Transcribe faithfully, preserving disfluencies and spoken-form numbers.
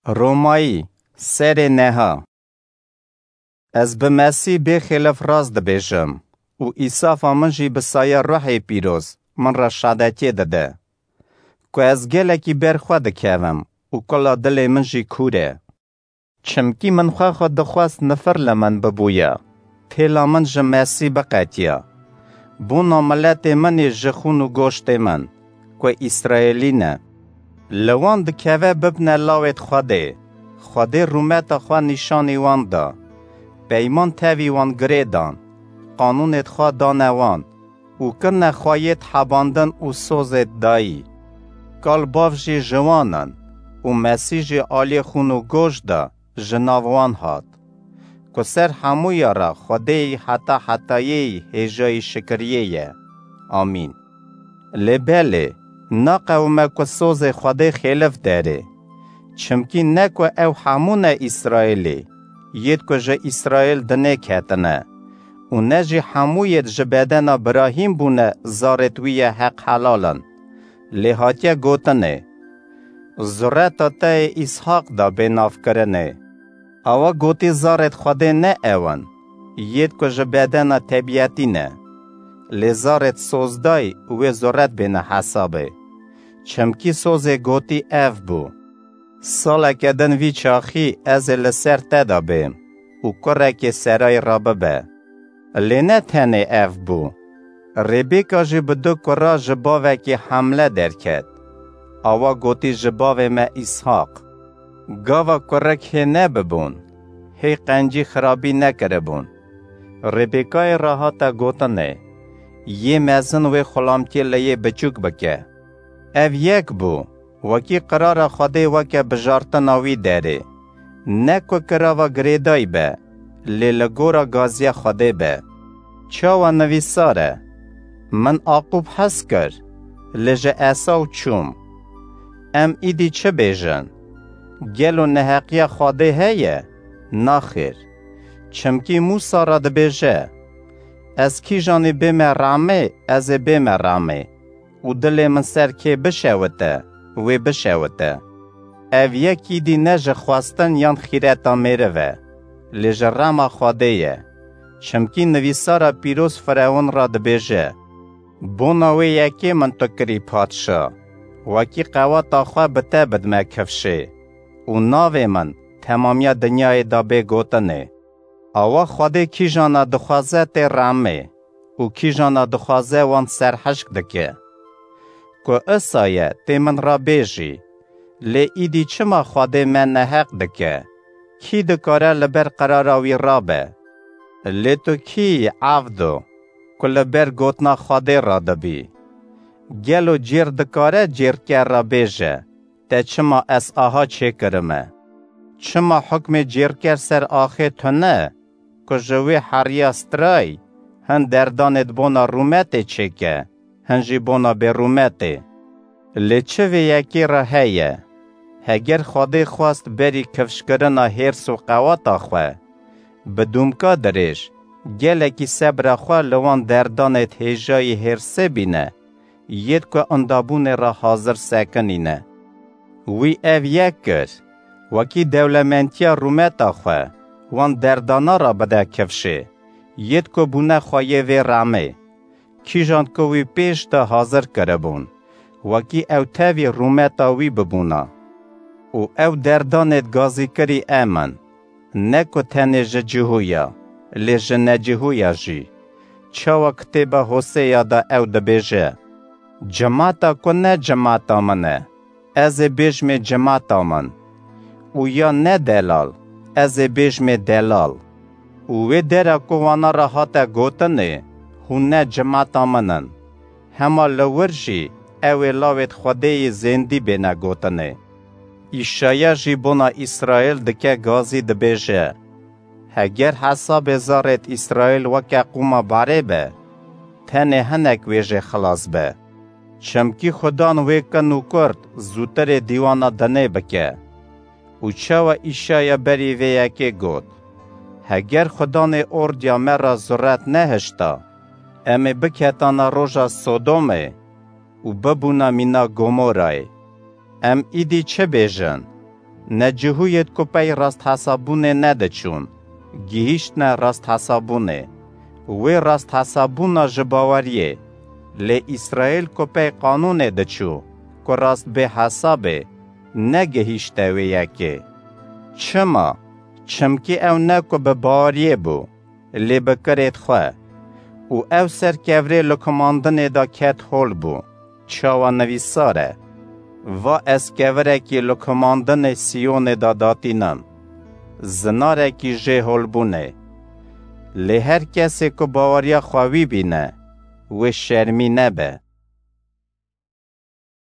Romayî, serê neha. Ez bi Mesîh bêxêlef rast dibêjim û îsafa min jî bi saya Ruhê Pîroz min re şadetiyê dide, ku ez gelekî ber xwe dikevim û kula dilê min jî kûr e. Çimkî min xwe xwe dixwest nifir li min bibûya, têla min ji Mesîh biqetiya. Bona miletê min ê ji xûn û goştê min, ku Îsraêlî ne. Li wan dikeve bibne lawêt Xwedê. Xwedê rûmeta xwe nîşanî wan da. Peyman tevî wan girê dan. Qanûnêt xwe dane wan û kirine xweyêt hebandin û sozêt dayî. Kal bav jî ji wan in û Mesîh jî aliyê xûn û goş de ji nav wan hat, ku ser hemûya re Xwedêyî heta hetayê yî hêjayî şikiriyê ye. Amîn. Lê belê, naqewime ku sozê Xwedê xêlif derê. Çimkî ne ku ew hemû ne Îsraêlî, yêd ku ji Îsraêl dinê ketine, û ne jî hemû yêd ji bedena Birahîm bûne zarêt wî ye heq helalin. Lê hatiye gotinê, zureta te yê Îshaq da bê navkirinê. Awa gotî zarêt Xwedê ne ew in, yêd ku ji bedena tebîetî ne. Lê zarêt sozdayî wê zuret bêne hesabê. Çimkî sozê gotî ev bû, saleke din vî çaxî ez ê li ser te de bêm û kurekê serayî re bibe. Lê ne tenê ev bû. Rêbêka jî bi du kura ji bavekî hemle derket. Awa gotî ji bavê me Îshaq. Gava kurik hê nebibûn, hê qencî xirabî nekiribûn. Rêbêkayê re hate gotinê, yê mezin wê xulamtiyê li yê biçûk bike. Ev yek bû, wekî qirara Xwedê weke bijartina wî derê. Ne ku kirava girêdayî be, lê li gora gaziya Xwedê be. Çawa nivîsar e, min Aqûb hez kir, lê ji Esaw çûm. Em îdî çi bêjin? Gelo neheqiya Xwedê heye? Naxêr. Çimkî Mûsa re dibêje, ez kîjanî bême ramê, ez ê bême ramê. Û dilê min ser kê bişewite, wê bişewite. Ev yekî dî ne ji xwestin yan xîreta mêriv e, lê ji rema Xwedê ye. Çimkî nivîsara pîroz Firewn re dibêje, bona wê yekê min tu kirî padşa, wekî qeweta xwe bi te bidime kifşê û navê min temamiya dinyayê de bê gotinê. Awa Xwedê kîjana dixwaze tê remê û kîjana dixwaze wan serhişk dike. Ku isa ye tê min re bêjî, lê îdî çima Xwedê me neheq dike? Kî dikare li ber qirara wî rabe? Lê tu kî yî, evdo, ku li ber gotina Xwedê radibî? Gelo cêr dikare cêrker re bêje, te çima ez aha çêkirime? Çima hukmê cêrker ser axê tune, ku ji wê heriya strayî hin derdanêd bona rûmetê çêke, hin jî bona bêrûmetê? Lê çi vê yekê re heye? Heger Xwedê xwest berî kifşkirina hêrs û qeweta xwe, bi dûmka dirêj, gelekî sebra xwe li wan derdanêd hêjayî hêrsê bîne, yêd ku indabûnê re hazir sekinîne. Wî ev yek kir, wekî dewlementiya rûmeta xwe, wan derdana re bide kifşê, yêd ku bûne xweyê vê remê. Kîjan ku wî pêş de hazir kiribûn, wekî ew tevî rûmeta wî bibûna. Û ew derdanêd gazîkirî em in, ne ku tenê ji cihûya, lê ji necihûya jî. Çawa kitêba Hoseya de ew dibêje, cimata ku ne cimata min e, ez ê bêjmê cimata min, û ya ne delal, ez ê bêjmê delal. Û wê dera ku wana re hate gotinê, hûn ne cimata min in. Hema li wir jî ew ê lawêt Xwedê yê zêndî bêne gotinê. Îşaya jî bona Îsraêl dike gazî dibêje, heger hesabê zarêt Îsraêl weke qûma barê be, tenê hinek wê jê xilas be. Çimkî Xudan wê kin û kurt zûtirê dîwana dinê bike. Û çawa Îşaya berî vê yekê got, heger Xudanê ordiya me re zuret nehişta, em ê biketana roja Sodomê û bibûna mîna Gomorayê. Em îdî çi bêjin? Necihûyêd ku pey rasthesabûnê nediçûn, gihîştne rasthesabûnê. Wê rasthesabûna ji baweriyê, lê Îsraîl ku pey qanûnê diçû, ku rast bê hesabê, negihîşte wê yekê. Çima? Çimkî ew ne ku bi baweriyê bû, lê bi kirêd xwe. Û ew ser kevirê luqmandinê de ket hol bû. Çawa nivîsar e: Va ez kevirekî luqmandinê Siyonê de datînim, zinarekî jê holbûnê. Lê her kesê ku baweriya xwe wî bîne, wê şermî nebe.